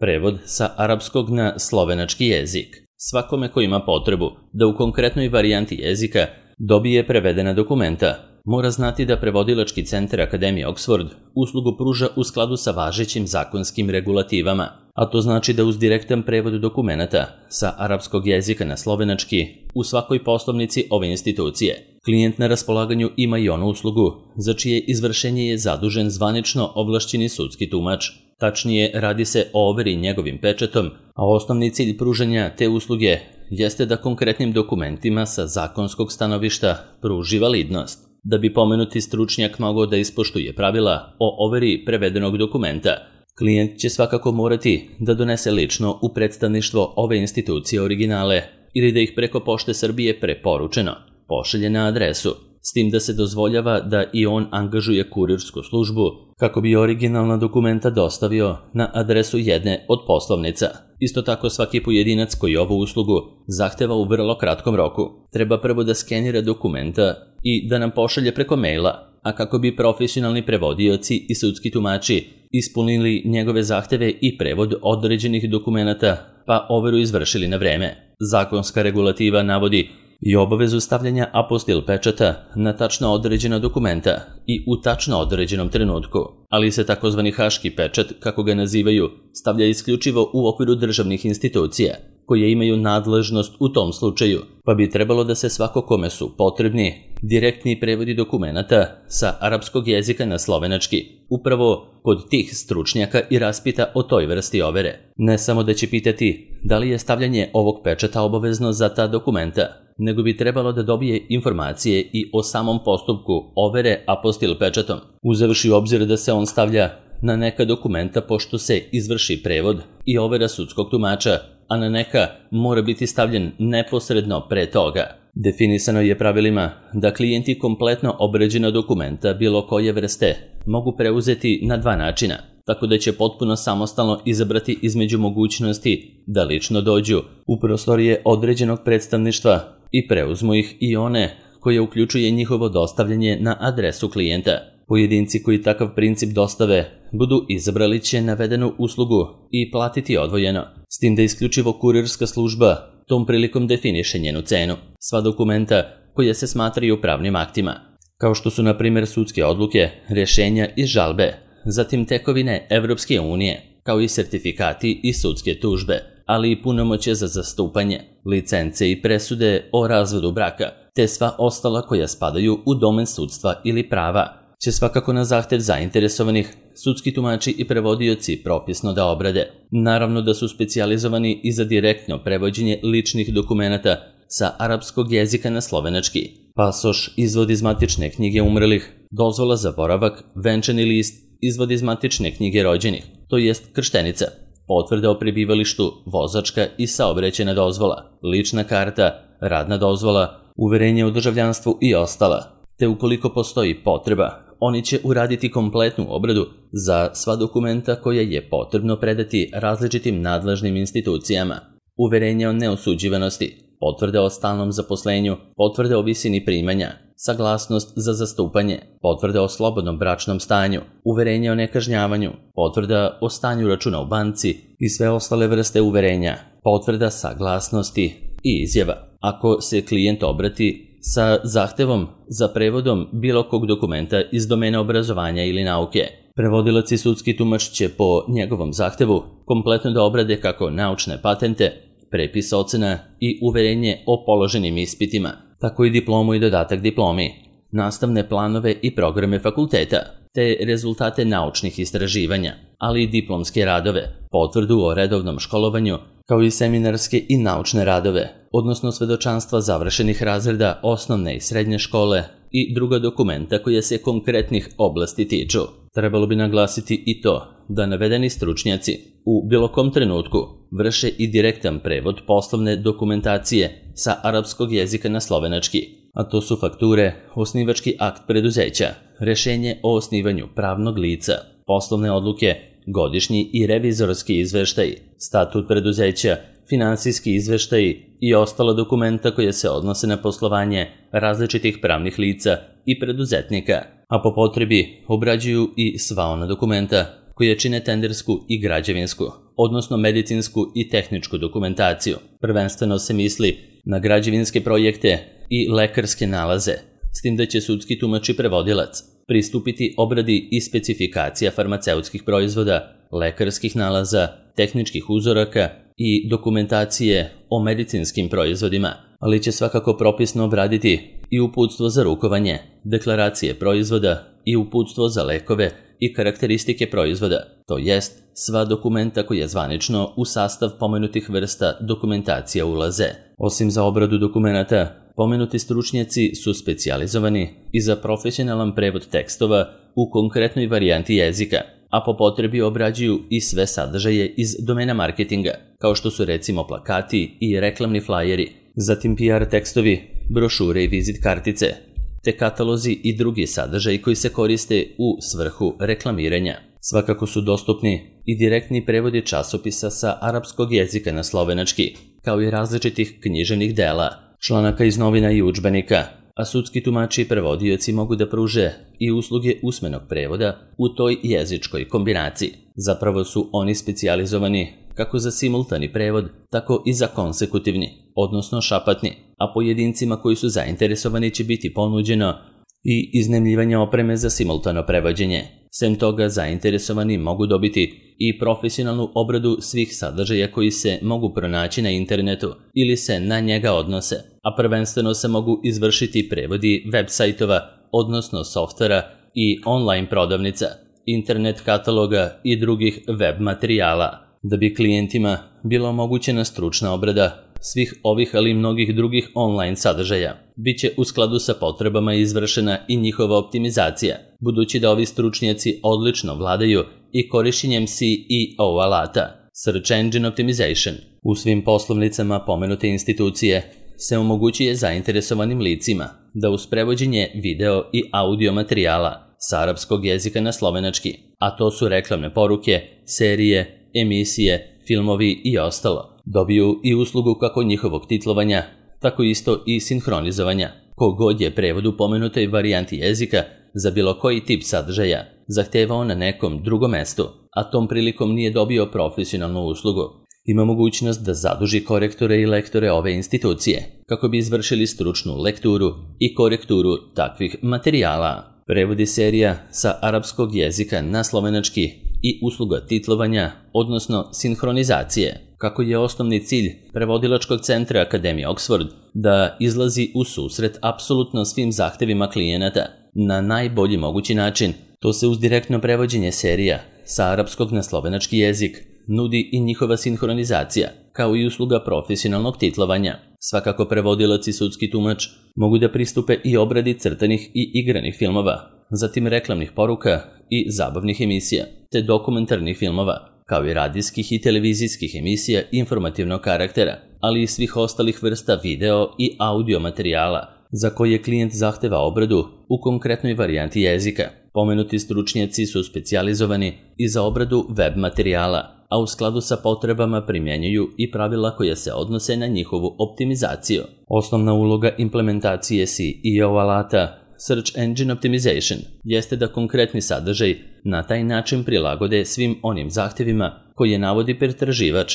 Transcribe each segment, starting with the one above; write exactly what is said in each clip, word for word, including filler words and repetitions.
Prevod sa arapskog na slovenački jezik. Svakome ko ima potrebu da u konkretnoj varijanti jezika dobije prevedena dokumenta, mora znati da Prevodilački centar Akademije Oxford uslugu pruža u skladu sa važećim zakonskim regulativama, a to znači da uz direktan prevod dokumenata sa arapskog jezika na slovenački u svakoj poslovnici ove institucije klijent na raspolaganju ima i onu uslugu za čije izvršenje je zadužen zvanično ovlašćeni sudski tumač. Tačnije, radi se o overi njegovim pečatom, a osnovni cilj pružanja te usluge jeste da konkretnim dokumentima sa zakonskog stanovišta pruži validnost. Da bi pomenuti stručnjak mogao da ispoštuje pravila o overi prevedenog dokumenta, klijent će svakako morati da donese lično u predstavništvo ove institucije originale ili da ih preko Pošte Srbije preporučeno pošalje na adresu, s tim da se dozvoljava da i on angažuje kurirsku službu kako bi originalna dokumenta dostavio na adresu jedne od poslovnica. Isto tako svaki pojedinac koji ovu uslugu zahteva u vrlo kratkom roku treba prvo da skenira dokumenta i da nam pošalje preko maila, a kako bi profesionalni prevodioci i sudski tumači ispunili njegove zahteve i prevod određenih dokumenata pa overu izvršili na vreme. Zakonska regulativa navodi i obavezu stavljanja apostil pečata na tačno određena dokumenta i u tačno određenom trenutku, ali se takozvani haški pečat, kako ga nazivaju, stavlja isključivo u okviru državnih institucija, koje imaju nadležnost u tom slučaju, pa bi trebalo da se svako kome su potrebni direktni prevodi dokumenata sa arapskog jezika na slovenački upravo kod tih stručnjaka i raspita o toj vrsti overe. Ne samo da će pitati da li je stavljanje ovog pečata obavezno za ta dokumenta, nego bi trebalo da dobije informacije i o samom postupku overe apostil pečatom, uzevši u obzir da se on stavlja na neka dokumenta pošto se izvrši prevod i overa sudskog tumača, a na neka mora biti stavljen neposredno pre toga. Definisano je pravilima da klijenti kompletno obrađena dokumenta bilo koje vrste mogu preuzeti na dva načina, tako da će potpuno samostalno izabrati između mogućnosti da lično dođu u prostorije određenog predstavništva i preuzmu ih i one koje uključuje njihovo dostavljanje na adresu klijenta. Pojedinci koji takav princip dostave budu izabrali će navedenu uslugu i platiti odvojeno, s tim da isključivo kurirska služba tom prilikom definiše njenu cenu. Sva dokumenta koja se smatraju pravnim aktima, kao što su na primjer sudske odluke, rješenja i žalbe, zatim tekovine Evropske unije, kao i sertifikati i sudske tužbe, ali i punomoćje za zastupanje, licence i presude o razvodu braka, te sva ostala koja spadaju u domen sudstva ili prava, će svakako na zahtev zainteresovanih sudski tumači i prevodioci propisno da obrade. Naravno da su specijalizovani i za direktno prevođenje ličnih dokumenata sa arapskog jezika na slovenački. Pasoš, izvod iz matične knjige umrlih, dozvola za boravak, venčani list, izvod iz matične knjige rođenih, to jest krštenica, potvrda o prebivalištu, vozačka i saobraćajna dozvola, lična karta, radna dozvola, uverenje o državljanstvu i ostala. Te ukoliko postoji potreba, oni će uraditi kompletnu obradu za sva dokumenta koje je potrebno predati različitim nadležnim institucijama. Uverenje o neosuđivanosti, potvrde o stalnom zaposlenju, potvrde o visini primanja, saglasnost za zastupanje, potvrde o slobodnom bračnom stanju, uverenje o nekažnjavanju, potvrda o stanju računa u banci i sve ostale vrste uverenja, potvrda saglasnosti i izjava. Ako se klijent obrati sa zahtevom za prevodom bilo kog dokumenta iz domena obrazovanja ili nauke, prevodilac i sudski tumač će po njegovom zahtevu kompletno da obrade kako naučne patente, prepis ocena i uverenje o položenim ispitima, tako i diplomu i dodatak diplomi, nastavne planove i programe fakulteta, te rezultate naučnih istraživanja, ali i diplomske radove, potvrdu o redovnom školovanju, kao i seminarske i naučne radove, odnosno svedočanstva završenih razreda osnovne i srednje škole i druga dokumenta koja se konkretnih oblasti tiču. Trebalo bi naglasiti i to da navedeni stručnjaci u bilo kom trenutku vrše i direktan prevod poslovne dokumentacije sa arapskog jezika na slovenački, a to su fakture, osnivački akt preduzeća, rješenje o osnivanju pravnog lica, poslovne odluke, godišnji i revizorski izveštaj, statut preduzeća, finansijski izveštaj i ostala dokumenta koje se odnose na poslovanje različitih pravnih lica i preduzetnika, a po potrebi obrađuju i sva ona dokumenta koje čine tendersku i građevinsku, odnosno medicinsku i tehničku dokumentaciju. Prvenstveno se misli na građevinske projekte i lekarske nalaze, s tim da će sudski tumač i prevodilac pristupiti obradi i specifikacija farmaceutskih proizvoda, lekarskih nalaza, tehničkih uzoraka i dokumentacije o medicinskim proizvodima, ali će svakako propisno obraditi i uputstvo za rukovanje, deklaracije proizvoda i uputstvo za lekove i karakteristike proizvoda, to jest sva dokumenta koja zvanično u sastav pomenutih vrsta dokumentacija ulaze. Osim za obradu dokumenata, pomenuti stručnjaci su specijalizovani i za profesionalan prevod tekstova u konkretnoj varijanti jezika, a po potrebi obrađuju i sve sadržaje iz domena marketinga, kao što su recimo plakati i reklamni flajeri, zatim P R tekstovi, brošure i vizit kartice, te katalozi i drugi sadržaji koji se koriste u svrhu reklamiranja. Svakako su dostupni i direktni prevodi časopisa sa arapskog jezika na slovenački, kao i različitih književnih dela, članaka iz novina i udžbenika, a sudski tumači i prevodioci mogu da pruže i usluge usmenog prevoda u toj jezičkoj kombinaciji. Zapravo su oni specijalizovani kako za simultani prevod, tako i za konsekutivni, odnosno šapatni, a pojedincima koji su zainteresovani će biti ponuđeno i iznajmljivanje opreme za simultano prevođenje. Sem toga, zainteresovani mogu dobiti i profesionalnu obradu svih sadržaja koji se mogu pronaći na internetu ili se na njega odnose, a prvenstveno se mogu izvršiti prevodi web sajtova, odnosno softvera i online prodavnica, internet kataloga i drugih web materijala. Da bi klijentima bila omogućena stručna obrada svih ovih, ali i mnogih drugih online sadržaja, bit će u skladu sa potrebama izvršena i njihova optimizacija, budući da ovi stručnjaci odlično vladaju i korišćenjem S E O alata, Search Engine Optimization. U svim poslovnicama pomenute institucije se omogućuje zainteresovanim licima da uz prevođenje video i audio materijala sa arapskog jezika na slovenački, a to su reklamne poruke, serije, emisije, filmovi i ostalo, dobiju i uslugu kako njihovog titlovanja, tako isto i sinhronizovanja. Kogod je prevod u pomenutoj varijanti jezika za bilo koji tip sadržaja zahtevao na nekom drugom mestu, a tom prilikom nije dobio profesionalnu uslugu, ima mogućnost da zaduži korektore i lektore ove institucije, kako bi izvršili stručnu lekturu i korekturu takvih materijala. Prevodi serija sa arapskog jezika na slovenački i usluga titlovanja, odnosno sinhronizacije, kako je osnovni cilj prevodilačkog centra Akademije Oxford da izlazi u susret apsolutno svim zahtevima klijenata na najbolji mogući način. To se uz direktno prevođenje serija sa arapskog na slovenački jezik nudi i njihova sinhronizacija, kao i usluga profesionalnog titlovanja. Svakako prevodilac i sudski tumač mogu da pristupe i obradi crtanih i igranih filmova, zatim reklamnih poruka i zabavnih emisija, te dokumentarnih filmova, kao i radijskih i televizijskih emisija informativnog karaktera, ali i svih ostalih vrsta video i audio materijala za koje klijent zahteva obradu u konkretnoj varijanti jezika. Pomenuti stručnjaci su specijalizovani i za obradu web materijala, a u skladu sa potrebama primjenjuju i pravila koja se odnose na njihovu optimizaciju. Osnovna uloga implementacije S E O alata Search Engine Optimization jeste da konkretni sadržaj na taj način prilagode svim onim zahtjevima koje navodi pretraživač,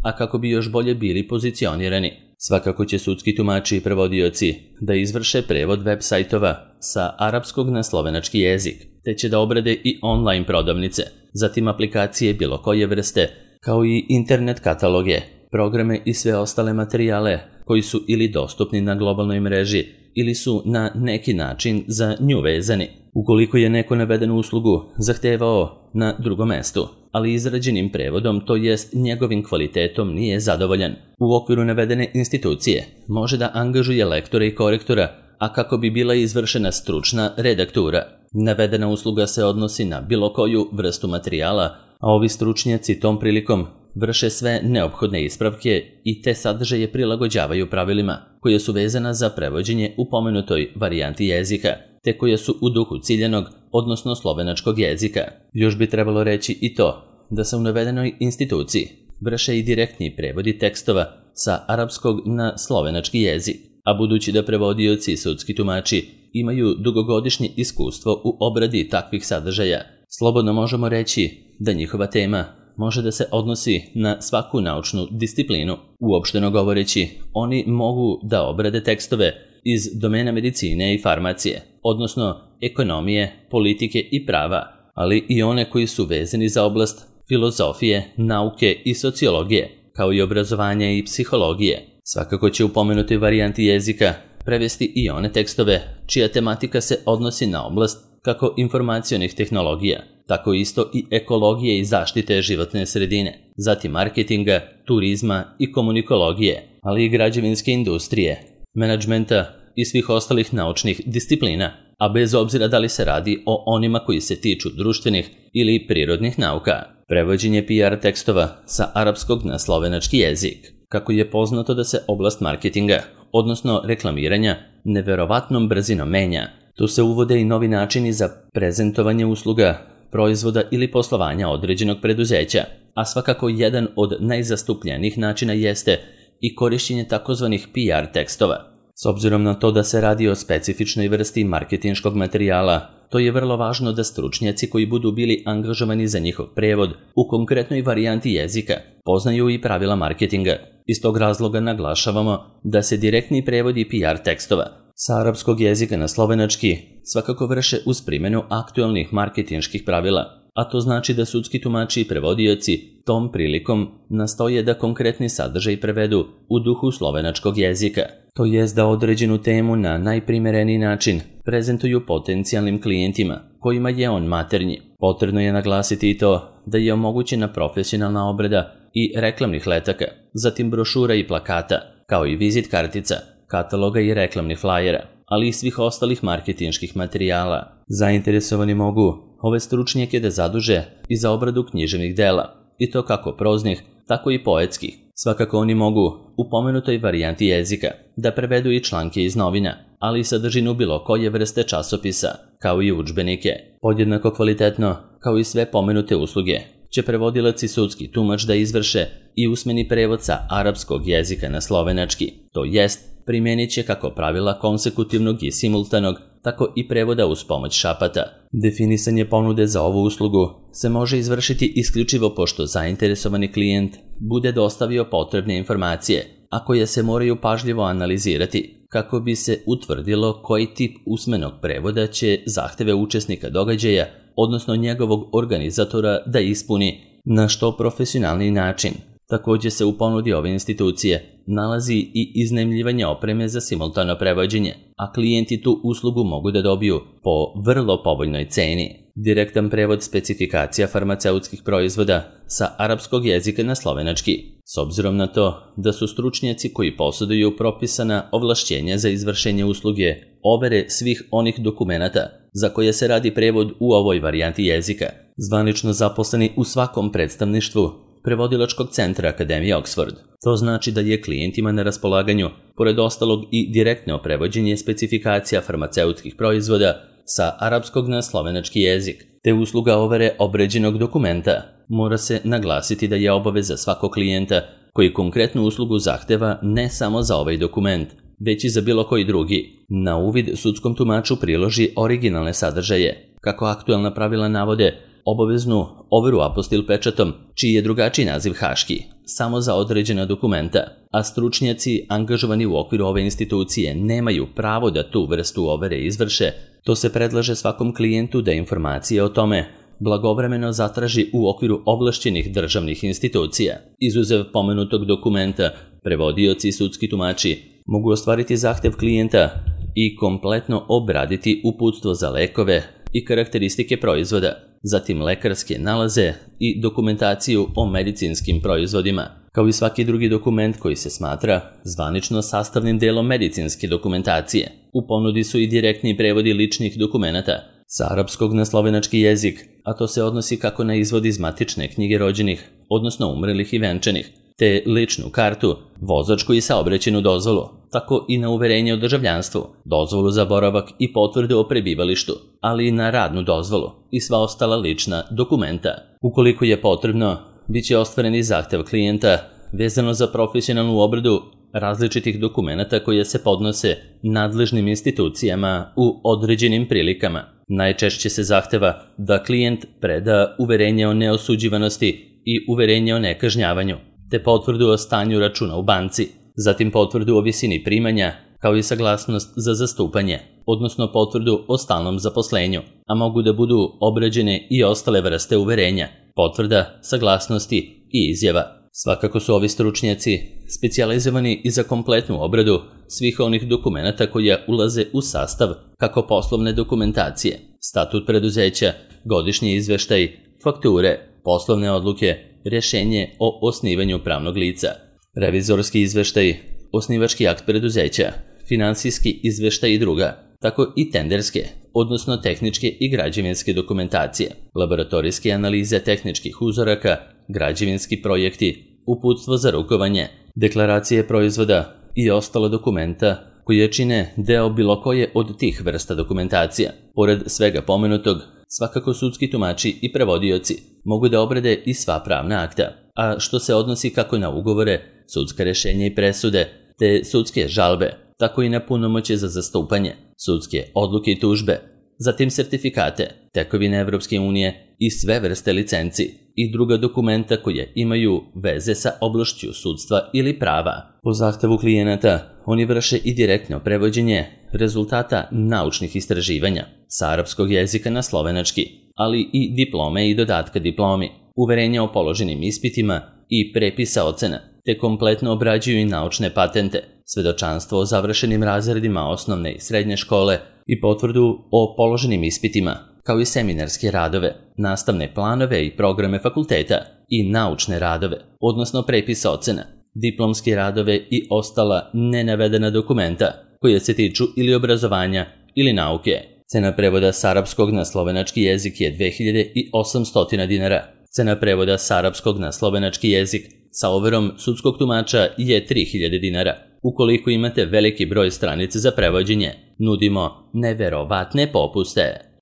a kako bi još bolje bili pozicionirani. Svakako će sudski tumači i prevodioci da izvrše prevod web sajtova sa arapskog na slovenački jezik, te će da obrade i online prodavnice, zatim aplikacije bilo koje vrste, kao i internet kataloge, programe i sve ostale materijale koji su ili dostupni na globalnoj mreži ili su na neki način za nju vezani. Ukoliko je neko navedenu uslugu zahtevao na drugom mestu, ali izrađenim prevodom, to jest njegovim kvalitetom, nije zadovoljan, u okviru navedene institucije može da angažuje lektora i korektora, a kako bi bila izvršena stručna redaktura. Navedena usluga se odnosi na bilo koju vrstu materijala, a ovi stručnjaci tom prilikom vrše sve neophodne ispravke i te sadržaje prilagođavaju pravilima koje su vezana za prevođenje u pomenutoj varijanti jezika, te koje su u duhu ciljanog, odnosno slovenačkog jezika. Još bi trebalo reći i to da se u navedenoj instituciji vrše i direktni prevodi tekstova sa arapskog na slovenački jezik, a budući da prevodioci i sudski tumači imaju dugogodišnje iskustvo u obradi takvih sadržaja, Slobodno možemo reći da njihova tema može da se odnosi na svaku naučnu disciplinu. Uopšteno govoreći, oni mogu da obrade tekstove iz domena medicine i farmacije, odnosno ekonomije, politike i prava, ali i one koji su vezani za oblast filozofije, nauke i sociologije, kao i obrazovanja i psihologije. Svakako će u pomenutoj varijanti jezika prevesti i one tekstove čija tematika se odnosi na oblast kako informacionih tehnologija, tako isto i ekologije i zaštite životne sredine, zatim marketinga, turizma i komunikologije, ali i građevinske industrije, menadžmenta i svih ostalih naučnih disciplina, a bez obzira da li se radi o onima koji se tiču društvenih ili prirodnih nauka. Prevođenje P R tekstova sa arapskog na slovenački jezik. Kako je poznato da se oblast marketinga, odnosno reklamiranja, neverovatnom brzinom menja, tu se uvode i novi načini za prezentovanje usluga, proizvoda ili poslovanja određenog preduzeća, a svakako jedan od najzastupljenijih načina jeste i korišćenje takozvanih P R tekstova. S obzirom na to da se radi o specifičnoj vrsti marketinškog materijala, to je vrlo važno da stručnjaci koji budu bili angažovani za njihov prevod u konkretnoj varijanti jezika poznaju i pravila marketinga. Iz tog razloga naglašavamo da se direktni prevodi P R tekstova sa arapskog jezika na slovenački svakako vrše uz primjenu aktualnih marketinških pravila, a to znači da sudski tumači i prevodioci tom prilikom nastoje da konkretni sadržaj prevedu u duhu slovenačkog jezika, to jest da određenu temu na najprimereniji način prezentuju potencijalnim klijentima kojima je on maternji. Potrebno je naglasiti i to da je omogućena profesionalna obrada i reklamnih letaka, zatim brošura i plakata, kao i vizit kartica, kataloga i reklamnih flajera, ali i svih ostalih marketinških materijala. Zainteresovani mogu ove stručnjake da zaduže i za obradu književnih dela, i to kako proznih, tako i poetskih. Svakako oni mogu u pomenutoj varijanti jezika da prevedu i članke iz novina, ali i sadržinu bilo koje vrste časopisa, kao i udžbenike. Podjednako kvalitetno, kao i sve pomenute usluge, će prevodilac i sudski tumač da izvrše i usmeni prevod sa arapskog jezika na slovenački, to jest primjenit će kako pravila konsekutivnog i simultanog, tako i prevoda uz pomoć šapata. Definisanje ponude za ovu uslugu se može izvršiti isključivo pošto zainteresovani klijent bude dostavio potrebne informacije, a koje se moraju pažljivo analizirati kako bi se utvrdilo koji tip usmenog prevoda će zahteve učesnika događaja, odnosno njegovog organizatora, da ispuni na što profesionalniji način. Također se u ponudi ove institucije nalazi i iznajmljivanje opreme za simultano prevođenje, a klijenti tu uslugu mogu da dobiju po vrlo povoljnoj ceni. Direktan prevod specifikacija farmaceutskih proizvoda sa arapskog jezika na slovenački. S obzirom na to da su stručnjaci koji posjeduju propisana ovlašćenja za izvršenje usluge overe svih onih dokumenata za koje se radi prevod u ovoj varijanti jezika, zvanično zaposleni u svakom predstavništvu prevodilačkog centra Akademije Oxford. To znači da je klijentima na raspolaganju, pored ostalog i direktno prevođenje specifikacija farmaceutskih proizvoda sa arapskog na slovenački jezik, te usluga overe obređenog dokumenta. Mora se naglasiti da je obaveza svakog klijenta koji konkretnu uslugu zahteva ne samo za ovaj dokument, već i za bilo koji drugi. Na uvid sudskom tumaču priloži originalne sadržaje, kako aktualna pravila navode, obaveznu overu apostil pečatom, čiji je drugačiji naziv haški, samo za određena dokumenta, a stručnjaci angažovani u okviru ove institucije nemaju pravo da tu vrstu overe izvrše, to se predlaže svakom klijentu da informacije o tome blagovremeno zatraži u okviru ovlašćenih državnih institucija. Izuzev pomenutog dokumenta, prevodioci i sudski tumači mogu ostvariti zahtev klijenta i kompletno obraditi uputstvo za lekove i karakteristike proizvoda, zatim lekarske nalaze i dokumentaciju o medicinskim proizvodima, kao i svaki drugi dokument koji se smatra zvanično sastavnim delom medicinske dokumentacije. U ponudi su i direktni prevodi ličnih dokumenata sa arapskog na slovenački jezik, a to se odnosi kako na izvod iz matične knjige rođenih, odnosno umrlih i venčanih, te ličnu kartu, vozačku i saobraćajnu dozvolu, tako i na uverenje o državljanstvu, dozvolu za boravak i potvrde o prebivalištu, ali i na radnu dozvolu i sva ostala lična dokumenta. Ukoliko je potrebno, bit će ostvareni zahtev klijenta vezano za profesionalnu obradu različitih dokumenata koje se podnose nadležnim institucijama u određenim prilikama. Najčešće se zahteva da klijent preda uverenje o neosuđivanosti i uverenje o nekažnjavanju, te potvrdu o stanju računa u banci, zatim potvrdu o visini primanja, kao i saglasnost za zastupanje, odnosno potvrdu o stalnom zaposlenju, a mogu da budu obrađene i ostale vrste uverenja, potvrda, saglasnosti i izjava. Svakako su ovi stručnjaci specijalizovani i za kompletnu obradu svih onih dokumenata koje ulaze u sastav kako poslovne dokumentacije, statut preduzeća, godišnji izveštaj, fakture, poslovne odluke, rješenje o osnivanju pravnog lica, revizorski izveštaj, osnivački akt preduzeća, finansijski izveštaj i druga, tako i tenderske, odnosno tehničke i građevinske dokumentacije, laboratorijske analize tehničkih uzoraka, građevinski projekti, uputstvo za rukovanje, deklaracije proizvoda i ostala dokumenta koje čine deo bilo koje od tih vrsta dokumentacija. Pored svega pomenutog, svakako sudski tumači i prevodioci mogu da obrade i sva pravna akta, a što se odnosi kako na ugovore, sudska rješenja i presude, te sudske žalbe, tako i na punomoćje za zastupanje, sudske odluke i tužbe, zatim sertifikate, tekovine Evropske unije i sve vrste licenci i druga dokumenta koje imaju veze sa oblašću sudstva ili prava. Po zahtevu klijenata, oni vrše i direktno prevođenje rezultata naučnih istraživanja sa arapskog jezika na slovenački, ali i diplome i dodatka diplomi, uverenja o položenim ispitima i prepisa ocena, te kompletno obrađuju i naučne patente, svedočanstvo o završenim razredima osnovne i srednje škole i potvrdu o položenim ispitima, kao i seminarske radove, nastavne planove i programe fakulteta i naučne radove, odnosno prepis ocena, diplomske radove i ostala nenavedena dokumenta koje se tiču ili obrazovanja ili nauke. Cena prevoda s arapskog na slovenački jezik je dve hiljade osamsto dinara. Cena prevoda s arapskog na slovenački jezik sa overom sudskog tumača je tri hiljade dinara. Ukoliko imate veliki broj stranica za prevođenje, nudimo neverovatne popuste.